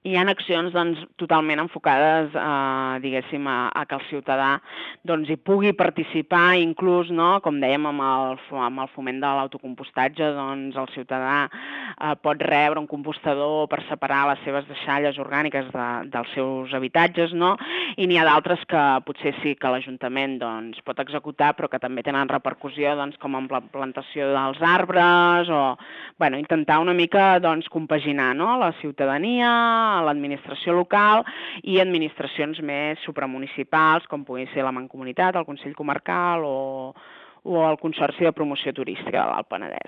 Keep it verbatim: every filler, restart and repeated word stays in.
hi ha accions doncs, totalment enfocades eh, diguéssim, a, a que el ciutadà doncs, hi pugui participar, inclús, no? Com dèiem, amb el, amb el foment de l'autocompostatge, doncs, el ciutadà eh, pot rebre un compostador per separar les seves deixalles orgàniques de, dels seus habitatges, no? I n'hi ha d'altres que potser sí que l'Ajuntament doncs, pot executar, però que també tenen repercussió, doncs, com amb la plantació dels arbres o bueno, intentar una mica doncs, compaginar, no? La ciutadania, l'administració local i administracions més supramunicipals, com pugui ser la Mancomunitat, el Consell Comarcal o, o el Consorci de Promoció Turística de l'Alt Penedès.